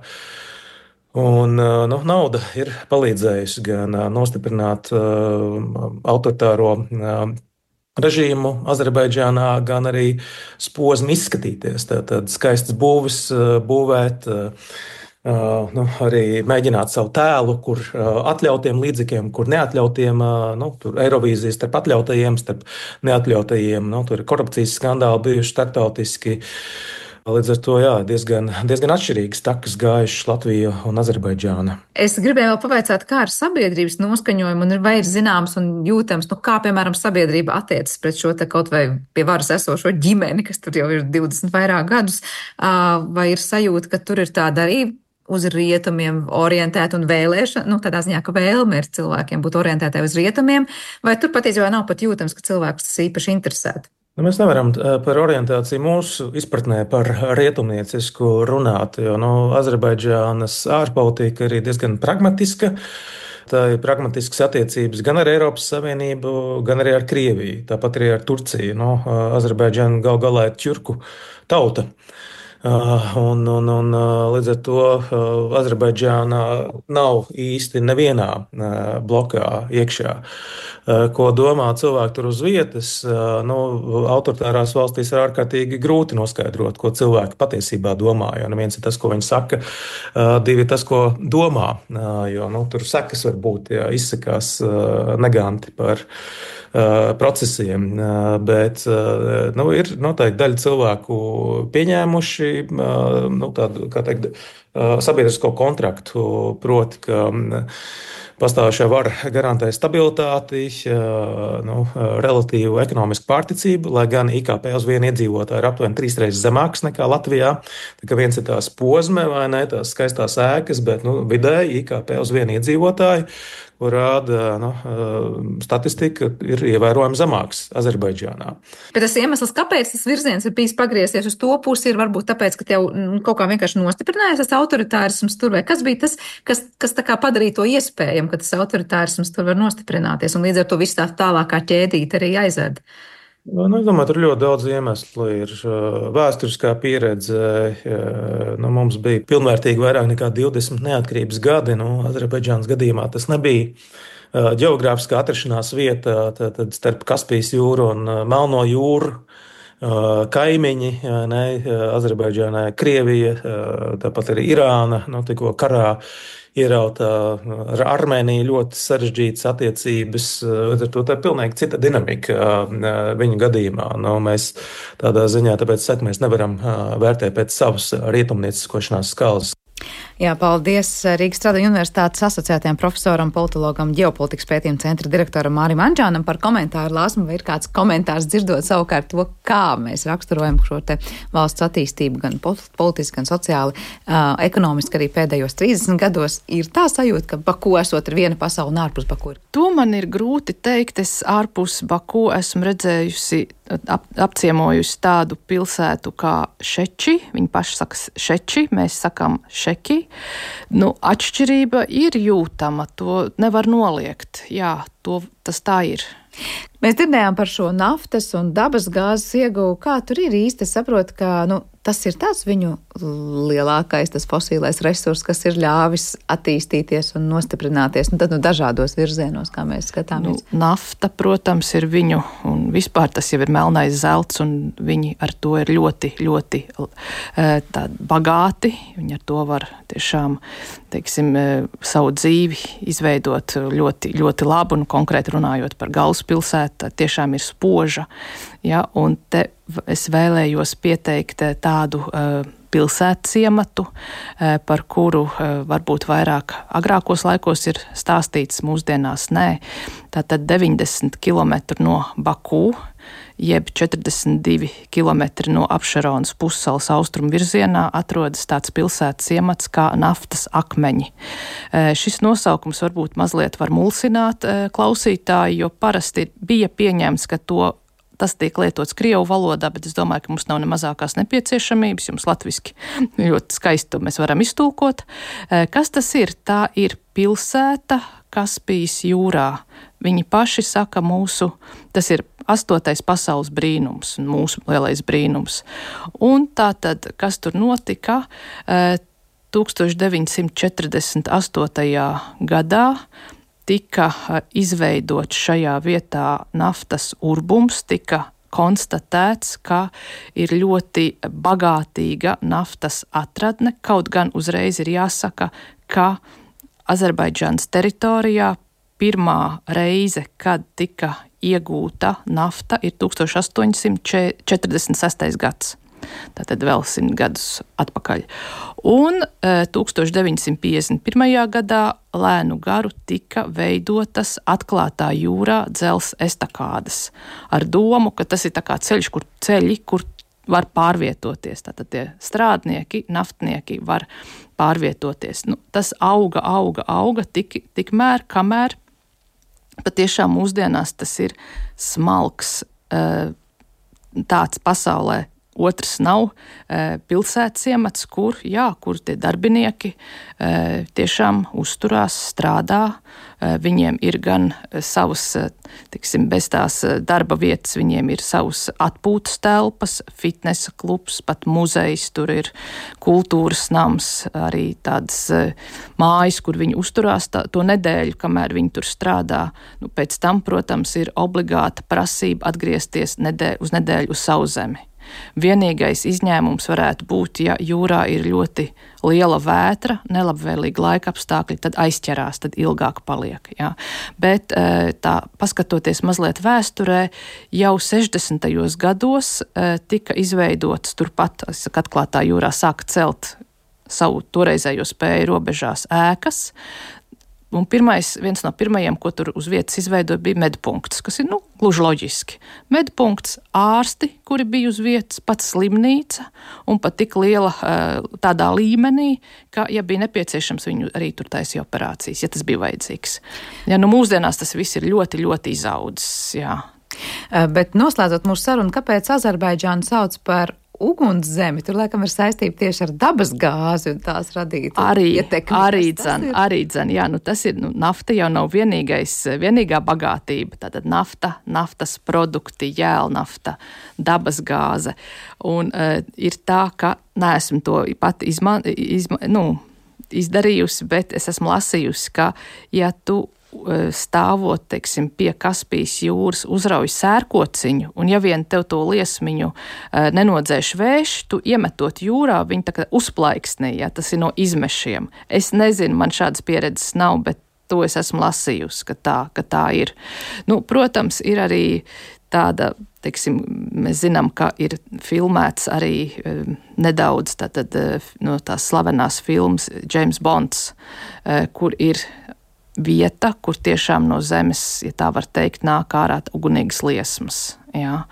Speaker 8: Un, nu, nauda ir palīdzējusi gan nostiprināt uh, autoritāro uh, režīmu Azerbaidžānā, gan arī posmu izskatīties. Tātad skaistas būvis uh, būvēt, uh, uh, nu, arī mēģināt savu tēlu, kur uh, atļautiem līdzekļiem, kur neatļautiem, uh, nu, tur Eirovīzijas starp atļautajiem, starp neatļautajiem, nu, tur ir korupcijas skandāli bijuši starptautiski. Līdz ar to jā, diezgan, diezgan atšķirīgas takas gājušas Latvija un Azerbaidžāna.
Speaker 2: Es gribēju vēl pavaicāt, kā ar sabiedrības noskaņojumu, un vai ir zināms un jūtams, nu, kā, piemēram, sabiedrība attiecas pret šo te kaut vai pie varas esošo ģimeni, kas tur jau ir divdesmit vairāk gadus, vai ir sajūta, ka tur ir tāda arī uz rietumiem orientēta un vēlēšana, nu, tādā ziņā, ka vēlme ir cilvēkiem būt orientētai uz rietumiem, vai tur patiesībā nav pat jūtams, ka cilvēkus tas īpaši interesētu?
Speaker 8: Nu, mēs nevaram par orientāciju mūsu izpratnē par rietumniecisku runāt, jo nu, Azerbaidžānas ārpolitika ir diezgan pragmatiska. Tā ir pragmatiskas attiecības gan ar Eiropas Savienību, gan arī ar Krieviju, tāpat arī ar Turciju. Nu, Azerbaidžāna gal galā ir ķurku tauta. Un, un, un, līdz ar to Azerbaidžānā nav īsti nevienā blokā iekšā. Ko domā cilvēki tur uz vietas, nu, autoritārās valstīs ir ārkārtīgi grūti noskaidrot, ko cilvēki patiesībā domā. Jo viens ir tas, ko viņi saka, divi ir tas, ko domā. Jo nu, tur sekas var būt, ja izsakās neganti par procesiem, bet nu, ir noteikti daļa cilvēku pieņēmuši nu, tādu, kā teikt, sabiedrisko kontraktu, proti, ka pastāvošā vara garantē stabilitāti, nu, relatīvu ekonomisku pārticību, lai gan I K P uz vienu iedzīvotāju ir aptuveni trīs reizes zemāks nekā Latvijā. Tā kā viens ir tās pozme vai ne, tās skaistās ēkas, bet nu, vidēji I K P uz vienu iedzīvotāju, kur rāda nu, statistika, ir ievērojami zemāks Azerbaidžānā.
Speaker 2: Bet tas iemesls, kāpēc tas virziens ir bijis pagriezies uz to pusi, ir varbūt tāpēc, ka tev kaut kā vienkārši nostiprinājās tas autoritārisms tur, vai kas bija tas, kas, kas tā kā padarīja to iespējami, ka tas autoritārisms tur var nostiprināties, un līdz ar to viss tā tālākā ķēdīte arī aizved?
Speaker 8: Nu, es domāju, tur ļoti daudz iemeslu ir. Vēsturiskā pieredze, nu, mums bija pilnvērtīgi vairāk nekā divdesmit neatkarības gadi. Nu, Azerbaidžānas gadījumā tas nebija ģeogrāfiskā atrašanās vieta tad, tad starp Kaspijas jūru un Melno jūru. Kaimiņi, ne, Azerbaidžānā, Krievija, tāpat arī Irāna, nu, tikko karā ierauta ar Armēniju ļoti sarežģītas attiecības. Ar to tā ir pilnīgi cita dinamika viņu gadījumā. Nu, mēs tādā ziņā, tāpēc saka, mēs nevaram vērtēt pēc savas rietumnieciskošanās skalas.
Speaker 2: Jā, paldies Rīgas Stradiņu universitātes asociētajam profesoram, politologam, ģeopolitikas pētījuma centra direktoram Mārim Anģānam par komentāru. Lāsmu, vai ir kāds komentārs dzirdot savukārt to, kā mēs raksturojam šo te valsts attīstību gan politiski, gan sociāli, uh, ekonomiski arī pēdējos trīsdesmit gados. Ir tā sajūta, ka Baku esot ir viena pasaule un ārpus Baku ir?
Speaker 6: To man ir grūti teikt. Es ārpus Baku esmu redzējusi, ap, apciemojusi tādu pilsētu kā Šeči. Viņi paši saka Šeči, mēs sakam Šeki. Nu, atšķirība ir jūtama, to nevar noliegt. Jā, to, tas tā ir.
Speaker 2: Mēs dzirdējām par šo naftas un dabas gāzes ieguvu. Kā tur ir īsti? Es saprotu, ka nu, tas ir tāds viņu lielākais, tas fosīlais resurs, kas ir ļāvis attīstīties un nostiprināties. Nu, tad nu, dažādos virzienos, kā mēs skatāmies.
Speaker 6: Nu, nafta, protams, ir viņu, un vispār tas jau ir melnais zelts, un viņi ar to ir ļoti, ļoti tā, bagāti. Viņi ar to var tiešām, teiksim, savu dzīvi izveidot ļoti, ļoti labu, un konkrēti runājot par galvaspilsētu, tiešām ir spoža. Ja, un te es vēlējos pieteikt tādu uh, pilsētas ciematu, uh, par kuru uh, varbūt vairāk agrākos laikos ir stāstīts, mūsdienās nē. Tātad deviņdesmit kilometri no Baku, jeb četrdesmit divi kilometri no Apšeronas pussalas austrumu virzienā atrodas tāds pilsētas ciemats kā Naftas akmeņi. Uh, šis nosaukums varbūt mazliet var mulsināt uh, klausītāju, jo parasti bija pieņemts, ka to tas tiek lietots krievu valodā, bet es domāju, ka mums nav ne mazākās nepieciešamības, jums latviski ļoti skaisti to mēs varam iztulkot. Kas tas ir? Tā ir pilsēta Kaspijas jūrā. Viņi paši saka mūsu, tas ir astotais pasaules brīnums, mūsu lielais brīnums. Un tā tad, kas tur notika? tūkstoš deviņsimt četrdesmit astotajā gadā tika izveidots šajā vietā naftas urbums, tika konstatēts, ka ir ļoti bagātīga naftas atradne, kaut gan uzreiz ir jāsaka, ka Azerbaidžānas teritorijā pirmā reize, kad tika iegūta nafta, ir tūkstoš astoņsimt četrdesmit sestais gads. Tātad vēl simt gadus atpakaļ. Un tūkstoš deviņsimt piecdesmit pirmajā gadā lēnu garu tika veidotas atklātā jūrā dzels estakādes ar domu, ka tas ir tā kā ceļš, kur ceļi, kur var pārvietoties. Tātad tie strādnieki, naftnieki var pārvietoties. Nu, tas auga, auga, auga tik, tikmēr, kamēr patiešām mūsdienās tas ir smalks tāds pasaulē. Otrs nav e, pilsētas ciemats, kur, jā, kur tie darbinieki e, tiešām uzturās, strādā. E, viņiem ir gan savas, tiksim, bez tās darba vietas, viņiem ir savas atpūtas telpas, fitnesa klubs, pat muzejs, tur ir kultūras nams, arī tādas e, mājas, kur viņi uzturās tā, to nedēļu, kamēr viņi tur strādā. Nu, pēc tam, protams, ir obligāta prasība atgriezties nedēļ, uz nedēļu uz sauszemi. Vienīgais izņēmums varētu būt, ja jūrā ir ļoti liela vētra, nelabvēlīgi laika apstākļi, tad aizķerās, tad ilgāk paliek. Jā. Bet tā, paskatoties mazliet vēsturē, jau sešdesmitajos gados tika izveidots turpat, saku, atklātā jūrā sāka celt savu toreizējo spēju robežās ēkas. Un pirmais, viens no pirmajiem, ko tur uz vietas izveidoja, bija medpunkts, kas ir, nu, gluži loģiski. Medpunkts, ārsti, kuri bija uz vietas, pats slimnīca un pat tik liela tādā līmenī, ka, ja bija nepieciešams, viņu arī tur taisīja operācijas, ja tas bija vajadzīgs. Ja, nu, mūsdienās tas viss ir ļoti, ļoti izaudzis, jā.
Speaker 2: Bet noslēdzot mūsu sarunu, kāpēc Azerbaidžānu sauc par ugunszemi? Tur, laikam, ir saistība tieši ar dabas gāzi un tās radītu
Speaker 6: arī,
Speaker 2: ietekmi.
Speaker 6: Arī dzen, arī dzen, jā, nu tas ir, nu, nafta jau nav vienīgais, vienīgā bagātība, tātad nafta, naftas produkti, jēlnafta, dabas gāze, un uh, ir tā, ka neesmu to pat izma, izma, nu, izdarījusi, bet es esmu lasījusi, ka, ja tu stāvot, teiksim, pie Kaspijas jūras, uzrauj sērkociņu, un ja vien tev to liesmiņu nenodzēš vējš, tu iemetot jūrā, viņi tā kā uzplaiksnī, ja, tas ir no izmešiem. Es nezinu, man šādas pieredzes nav, bet to es esmu lasījusi, ka tā, ka tā ir. Nu, protams, ir arī tāda, teiksim, mēs zinām, ka ir filmēts arī e, nedaudz tātad, no tās slavenās filmas James Bonds, e, kur ir vieta, kur tiešām no zemes, ja tā var teikt, nāk ārā ugunīgas liesmas. Jā.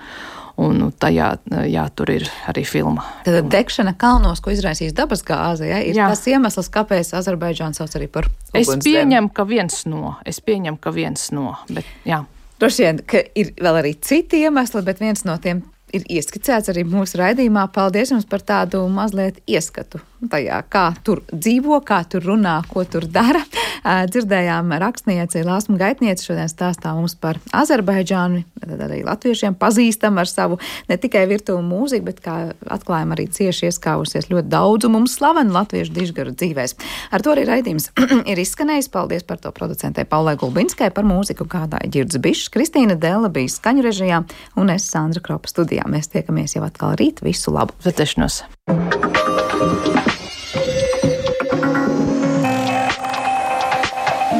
Speaker 6: Un tajā, jā, tur ir arī filma.
Speaker 2: Tad degšana kalnos, ko izraisīs dabas gāze, ja, ir jā. Tas iemesls, kāpēc Azerbaidžānu sauc arī par ugunszemi.
Speaker 6: Es pieņemu, ka viens no, es pieņemu, ka viens no, bet jā.
Speaker 2: Droši vien, ka ir vēl arī citi iemesli, bet viens no tiem ir ieskicēts arī mūsu raidījumā. Paldies jums par tādu mazliet ieskatu tajā, kā tur dzīvo, kā tur runā, ko tur dara. Dzirdējām rakstnieci, Lāsma Gaitniece šodien stāstā mums par Azerbaidžānu, tad arī latviešiem pazīstam ar savu ne tikai virtuvu mūziku, bet kā atklājam arī cieši ieskāvusies ļoti daudzu mums slavenu latviešu dižgaru dzīvēs. Ar to arī raidījums ir izskanējis. Paldies par to producentei Paulai Gulbinskai, par mūziku gādāja Ģirds Bišs, Kristīna Della bija skaņu režijā un es Sandra Kropa studijā. Mēs tiekamies jau atkal rīt. Visu labu!
Speaker 6: Zatešnos!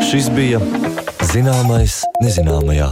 Speaker 1: Šis bija Zināmais nezināmajā.